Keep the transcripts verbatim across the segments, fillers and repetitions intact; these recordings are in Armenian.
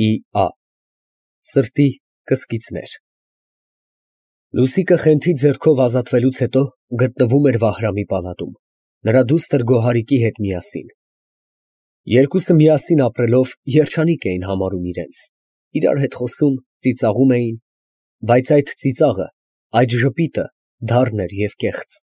Ի Ա Սրտի կսկիծներ։ Լուսիկը խենթի ձեռքով ազատվելուց հետո գտնվում էր Վահրամի պալատում, նրա դուստր Գոհարիկի հետ միասին։ Երկուսը միասին ապրելով երջանիկ էին համարում իրենց, իրար հետ խոսում, ծիծաղում էին, բայց այդ ծիծաղը, այդ ժպիտը դառն էր և կեղծ։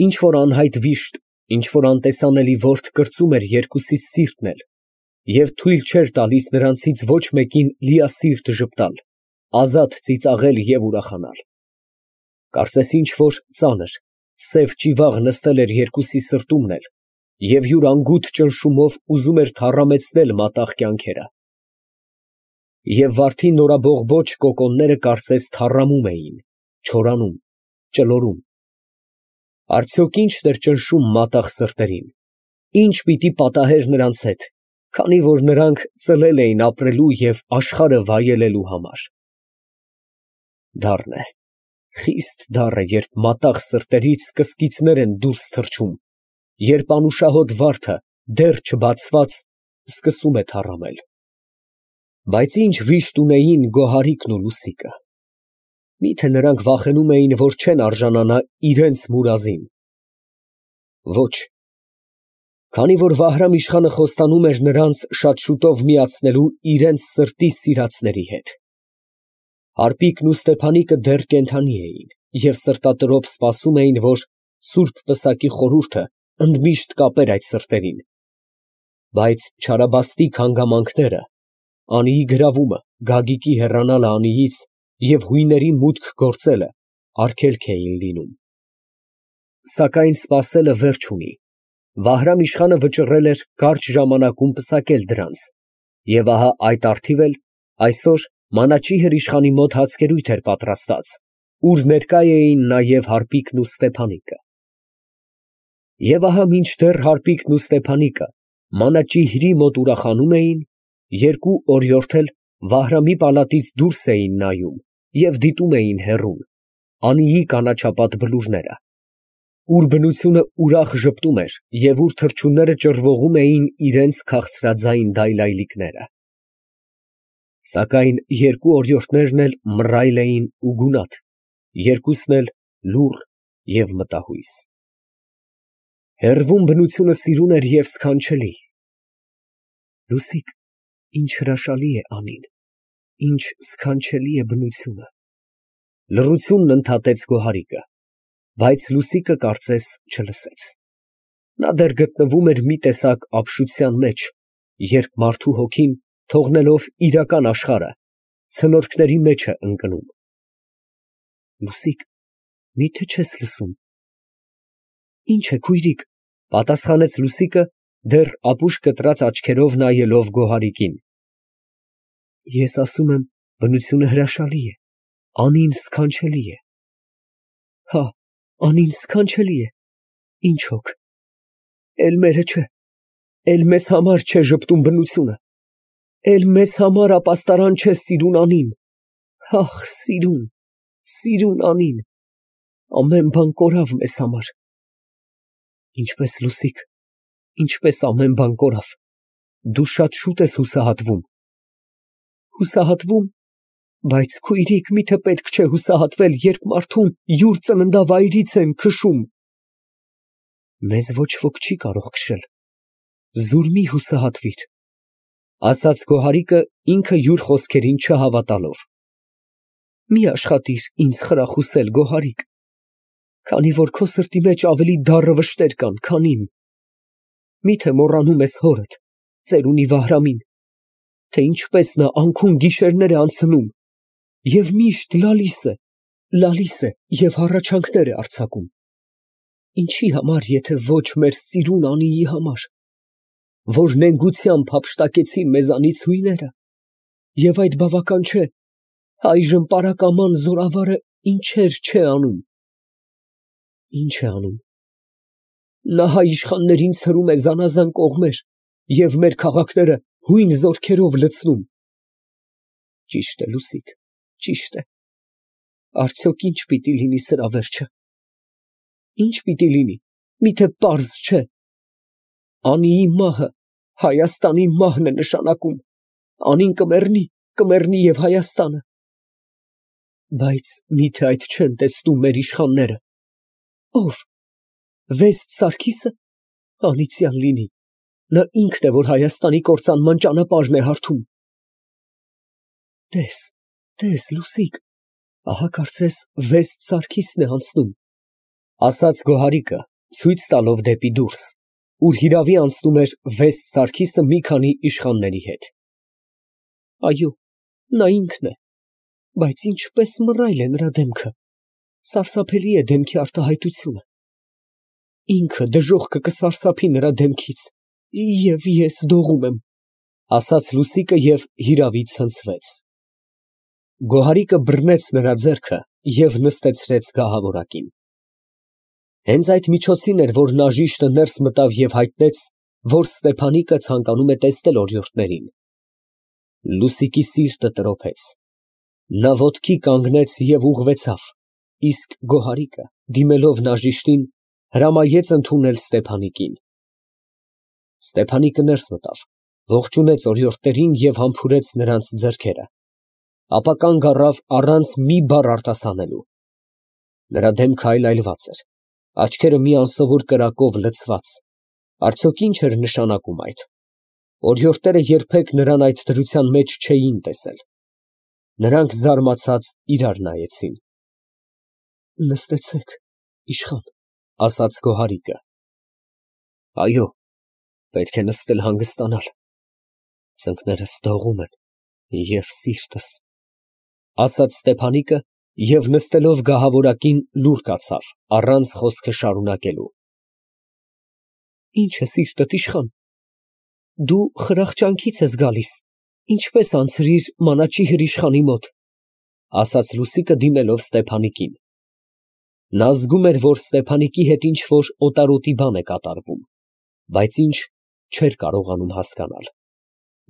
Ինչ որ անհայտ վիշտ, ինչ որ անտեսանելի որդ կրծում էր երկուսիս սիրտն էլ և թույլ չէր տալիս նրանցից ոչ մեկին լիասիրտ ժպտալ, ազատ ծիծաղել և ուրախանալ։ Կարծես ինչ որ ծանր, սև ճիվաղ նստել էր երկուսի սրտումն էլ և յուր անգութ ճնշումով ուզում էր թառամեցնել մատաղ կյանքերը։ Եվ վարդի նորաբողբոջ կոկոնները կարծես թառամում էին, չորանում, ճլորում։ Արդյոք ի՞նչն էր ճնշում մատաղ սրտերին, ի՞նչ պիտի պատահեր նրանց հետ, քանի որ նրանք ծլել էին ապրելու և աշխարհը վայելելու համար։ Դառն է, խիստ դառն է, երբ մատաղ սրտերից կսկիծներ են դուրս թռչում, երբ անուշահոտ վարդը, դեռ չբացված, սկսում է թառամել։ Բայց ինչ վիշտ ունեին Գոհարիկն ու Լուսիկը։ Մի՞թե նրանք վախենում էին, որ չեն արժանանա իրենց մուրազին։ Ոչ, քանի որ Վահրամ֊իշխանը խոստանում էր նրանց շատ շուտով միացնելու իրենց սրտի սիրածների հետ։ Հարպիկն ու Ստեփանիկը դեռ կենդանի էին և սրտատրոփ սպասում էին, որ սուրբ պսակի խորհուրդը ընդմիշտ կապեր այդ սրտերին։ Բայց չարաբաստիկ հանգամանքները, Անիի գրավումը, Գագիկի հեռանալը Անիից և հույների մուտք գործելը արգելք էին լինում։ Սակայն սպասելը վերջ ունի։ Վահրամ֊իշխանը վճռել էր կարճ ժամանակում պսակել դրանց, և ահա այդ առթիվ էլ այսօր մանաչիհր իշխանի մոտ հացկերույթ էր պատրաստած, ուր ներկա էին նաև Հարպիկն ու Ստեփանիկը։ Եվ ահա մինչդեռ Հարպիկն ու Ստեփանիկը մանաչիհրի մոտ ուրախանում էին, երկու օրիորդ էլ Վահրամի պալատից դուրս էին նայում և դիտում էին հեռուն, Անիի կանաչապատ բլուրները, ուր բնությունը ուրախ ժպտում էր և ուր թռչունները ճռվողում էին իրենց քաղցրաձայն դայլայլիկները։ Սակայն երկու օրիորդներն էլ մռայլ էին ու գունատ, երկուսն էլ լուռ և մտահույս։ Հեռվում բնությունը սիրուն էր և սքանչելի։ Լուսիկ, ինչ հրաշալի է Անին, ինչ սքանչելի է բնությունը, լռությունն ընդհատեց Գոհարիկը, բայց Լուսիկը կարծես չլսեց։ Նա դեռ գտնվում էր մի տեսակ ապշության մեջ, երբ մարդու հոգին, թողնելով իրական աշխարհը, ցնորքների մեջ է ընկնում։ Լուսիկ, մի՞թե չես լսում։ Ի՞նչ է, քույրիկ, պատասխանեց Լուսիկը, դեռ ապուշ կտրած աչքերով նայելով Գոհարիկին։ Ես ասում եմ, բնությունը հրաշալի է, Անին սքանչելի է։ Հա, Անին սքանչելի է, ինչ հոգ, էլ մերը չէ, էլ մեզ համար չէ ժպտում բնությունը, էլ մեզ համար ապաստարան չէ սիրուն Անին, ախ, սիրուն, սիրուն Անին, ամեն բան կորավ մեզ համար։ Ինչպես, Լուսիկ, ինչպես ամեն բան կորավ, դու շատ շուտ ես հուսահատվում։ Հուսահատվում, բայց քույրիկ, միթե պետք չէ հուսահատվել, երբ մարդուն յուր ծննդավայրից են քշում։ Մեզ ոչ ոք չի կարող քշել, զուր մի հուսահատվիր, ասաց Գոհարիկը ինքը յուր խոսքերին չհավատալով։ Մի աշխատիր ինձ խրախուսել, Գոհարիկ, քանի որ քո սրտի մեջ ավելի դառը վշտեր կան, քան իմ։ Միթե մոռանում ես հորդ, ծերունի Վահրամին, թե ինչպես նա անքուն գիշերներ է անցնում և միշտ լալիս է, լալիս է և հառաչանքներ է արձակում։ Ինչի համար, եթե ոչ մեր սիրուն Անիի համար, որ նենգությամբ հափշտակեցին մեզանից հույները, և այդ բավական չէ, այժմ պարակաման զորավարը ինչեր չէ անում։ Ինչ է անում։ Նա հայ իշխաններին ցրում է զանազան կողմեր և մեր քաղաքները հույն զորքերով լցնում։ Ճիշտ է, Լուսիկ, ճիշտ է։ Արդյոք ինչ պիտի լինի սրա վերջը։ Ինչ պիտի լինի, միթե պարզ չէ։ Անիի մահը Հայաստանի մահն է նշանակում, Անին կմեռնի, կմեռնի և Հայաստանը։ Բայց մի՞թե այդ չեն տեսնում մեր իշխանները։ Ո՞վ։ Վեստ Սարգի՞սը։ Անիծյալ լինի, նա ինքն է, որ Հայաստանի կործանման ճանապարհն է հարթում։ Տես, տես, Լուսիկ, ահա կարծես Վեստ Սարգիսն է անցնում, ասաց Գոհարիկը, ցույց տալով դեպի դուրս, ուր հիրավի անցնում էր Վեստ Սարգիսը մի քանի իշխանների հետ։ Այո, նա ինքն է, բայց ինչպես մռայլ է նրա դեմքը, սարսափելի է դեմքի արտահայտությունը։ Ինքը դժոխքը կսարսափի նրա դեմքից, և ես դողում եմ, ասաց Լուսիկը և հիրավի ցնցվեց։ Գոհարիկը բռնեց նրա ձեռքը և նստեցրեց գահավորակին։ Հենց այդ միջոցին էր, որ Նաժիշտը ներս մտավ և հայտնեց, որ Ստեփանիկը ցանկանում է տեսնել օրիորդներին։ Լուսիկի սիրտը տրոփեց։ Նա ոտքի կանգնեց և ուղղվեցավ, իսկ Գոհարիկը, դիմելով Նաժիշտին, հրամայեց ընդունել Ստեփանիկին։ Ստեփանիկը ներս մտավ, ողջունեց օրիորդներին և համբուրեց նրանց ձեռքերը, ապա կանգ առավ առանց մի բառ արտասանելու։ Նրա դեմքը այլայլված էր, աչքերը մի անսովոր կրակով լցված, արդյոք ի՞նչ էր նշանակում այդ։ Օրիորդները երբեք նրան այդ դրության մեջ չէին տեսել։ Նրանք զարմացած իրար նայեցին։ Նստեցեք, իշխան, ասաց Գոհարիկը։ Այո, պետք է նստել հանգստանալ, ծնկներս դողում են և սիրտս, ասաց Ստեփանիկը և նստելով գահավորակին լուռ կացավ, առանց խոսքը շարունակելու։ Ինչ է սիրտդ, իշխան, դու խրախճանքից ես գալիս, ինչպես անցրիր մանաչի հրիշխանի մոտ, ասաց Լուսիկը դիմելով Ստեփանիկին։ Նա զգում էր, որ Ստեփանիկի հետ ինչ֊որ օտարոտի բան է կատարվում, բայց ինչ չէր կարողանում հասկանալ։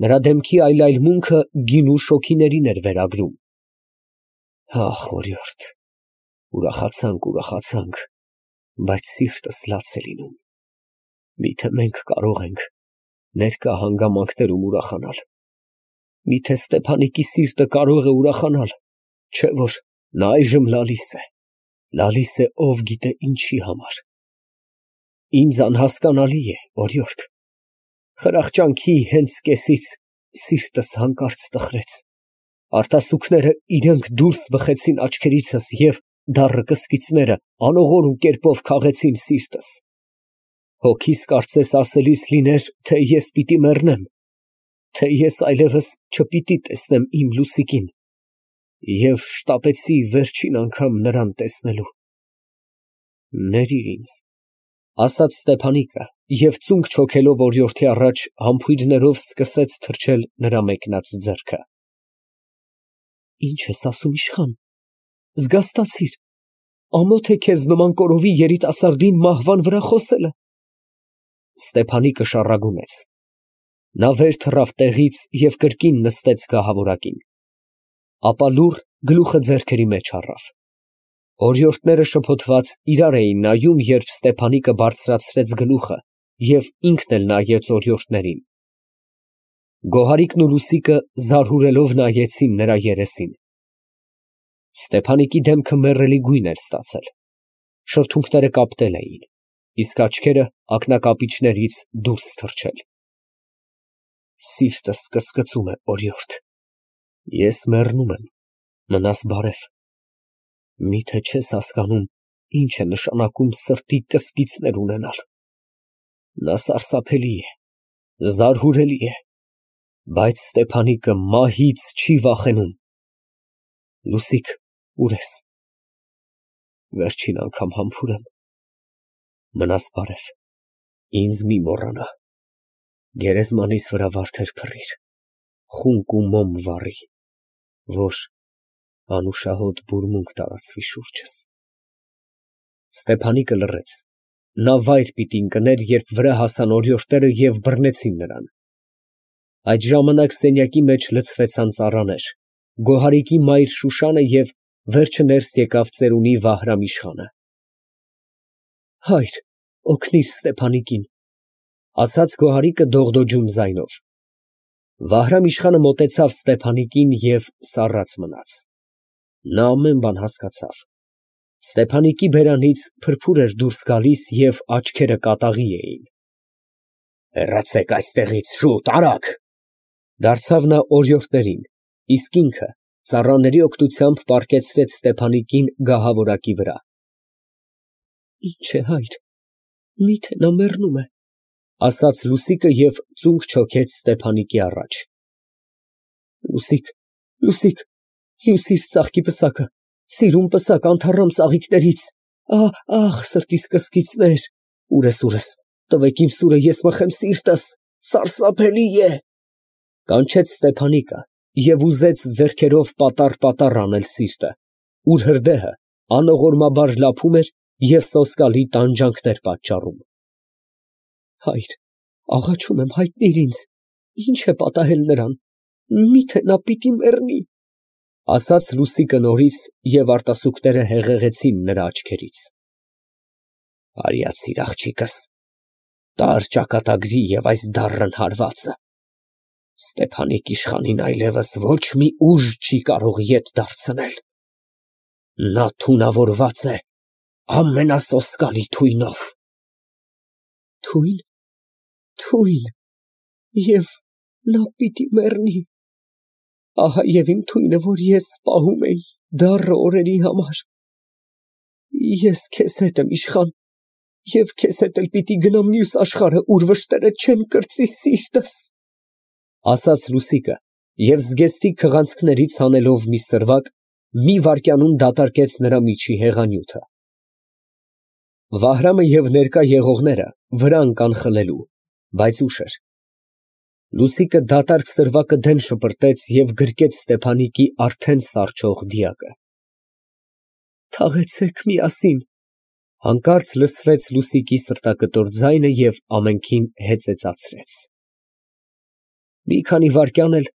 Նրա դեմքի այլայլմունքը գինու շոգիներին էր վերագրում։ Ախ, օրիորդ, ուրախացանք, ուրախացանք, բայց սիրտս լաց է լինում։ Միթե մենք կարող ենք ներկա հանգամանքներում ուրախանալ։ Միթե Ստեփանիկի սիրտը կարող է ուրախանալ, չէ՞ որ նա այժմ լալիս է, լալիս է ով գիտե ինչի համար։ Ինձ անհասկանալի է, օրիորդ, խրախճանքի հենց կեսից սիրտս հանկարծ տխրեց, արտասուքները իրանք դուրս բխեցին աչքերիցս և դառը կսկիծները անողորմ կերպով քաղեցին սիրտս։ Հոգիս կարծես ասելիս լիներ, թե ես պիտի մեռնեմ, թե ես այլևս չպիտի տեսնեմ իմ Լուսիկին, և շտապեցի վերջին անգամ նրան տեսնելու։ Ներիր ինձ, ասաց Ստեփանիկը և ծունկ չոքելով օրիորդի առաջ համբույրներով սկսեց թրջել նրա մեկնած ձեռքը։ Ինչ ես ասում, իշխան, զգաստացիր, ամոթ է քեզ նման կորովի երիտասարդին մահվան վրա խոսելը։ Ստեփանիկը շառագունեց։ Նա վեր թռավ տեղից և կրկին նստեց գահավորակին, ապա լուռ գլուխը ձեռքերի մեջ առավ։ Օրիորդները շփոթված իրար էին նայում, երբ Ստեփանիկը բարձրացրեց գլուխը և ինքն էլ նայեց օրիորդներին։ Գոհարիկն ու Լուսիկը զարհուրելով նայեցին նրա երեսին։ Ստեփանիկի դեմքը մեռելի գույն էր ստացել, շրթունքները կապտել էին, իսկ աչքերը ակնակապիճներից դուրս թռչել։ Սիրտս կսկծում է, օրիորդ, ես մեռնում եմ, մնաս բարև։ Միթե չես հասկանում, ինչ է նշանակում սրտի կսկիծներ ունենալ։ Նա սարսափելի է, զարհուրելի է, բայց Ստեփանիկը մահից չի վախենում։ Լուսիկ, ուր ես։ Վերջին անգամ համբուրեմ։ Մնաս բարև, ինձ մի մոռանա։ Գերեզմանիս վրա վարդեր փռիր, խունկ ու մոմ վառի, որ անուշահոտ բուրմունք տարածվի շուրջս։ Ստեփանիկը լռեց։ Նա վայր պիտի ընկներ, երբ վրա հասան օրիորդները և բռնեցին նրան։ Այդ ժամանակ սենյակի մեջ լցվեցան ծառաներ, Գոհարիկի մայր Շուշանը և վերջը ներս եկավ ծերունի Վահրամ իշխանը։ Հայր, օգնիր Ստեփանիկին, ասաց Գոհարիկը դողդոջուն ձայնով։ Վահրամ իշխանը մոտեցավ Ստեփանիկին և սառած մնաց։ Նա ամեն բան հասկացավ։ Ստեփանիկի բերանից փրփուր էր դուրս գալիս և աչքերը կատաղի էին։ Հեռացեք այստեղից, շուտ, արագ, դարձավ նա օրիորդներին, իսկ ինքը ծառաների օգնությամբ պառկեցրեց Ստեփանիկին գահավորակի վրա։ Ինչ է, հայր, միթե նա մեռնում է, ասաց Լուսիկը և ծունկ չոքեց Ստեփանիկի առաջ։ Լուսիկ, Լուսիկ, հյուր ծաղկի պսակը, սիրուն պսակ անթառամ ծաղիկներից, ահ, սրտիս կսկիցներ, ուրես, ուրես, տվեք իմ սուրը, ես մխեմ սիրտս, սարսափելի է, կանչեց Ստեփանիկը և ուզեց ձեռքերով պատառ֊պատառ անել սիրտը, ուր հրդեհը անողորմաբար լափում էր և սոսկալի տանջանքներ պատճառում։ Հայր, աղաչում եմ, հայտնիր ինձ, ինչ է պատահել նրան, միթե նա պիտի մեռնի, ասաց Լուսիկը նորից և արտասուքները հեղեղեցին նրա աչքերից։ Արյացիր աղջիկս, տար ճակատագրի և այս դառն հարվածը, Ստեփանիկ իշխանին այլևս ոչ մի ուժ չի կարող ետ դարձնել, նա թունավորված է ամենասոսկալի թույնով։ Թույն, թույն, և նա պիտի մեռնի, ահա և իմ թույնը, որ ես պահում էի դառը օրերի համար, ես քեզ հետ եմ իշխան և քեզ հետ էլ պիտի գնամ մյուս աշխարհը, ուր վշտերը չեն կրծի սիրտս, ասաց Լուսիկը և զգեստիկ քղանցքներից հանելով մի սրվակ, մի վայրկյանում դատարկեց նրա միջի հեղանյութը։ Վահրամը և ներկա եղողները վրա ընկան խլելու, բայց ուշ էր։ Լուսիկը դատարկ սրվակը դեն շպրտեց և գրկեց Ստեփանիկի արդեն սառչող դիակը։ Թաղեցեք միասին, հանկարծ լսվեց Լուսիկի սրտակտոր ձայնը և ամենքին հեծեծացրեց։ Մի քանի վայրկյան էլ,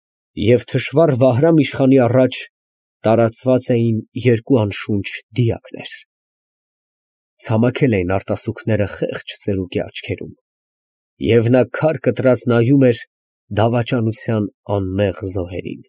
և թշվառ Վահրամ իշխանի առաջ տարածված էին երկու անշունչ դիակներ։ Ցամաքել էին արտասուքները խեղճ ծերուկի աչքերում, և նա քար կտրած նայում էր դավաճանության անմեղ զոհերին։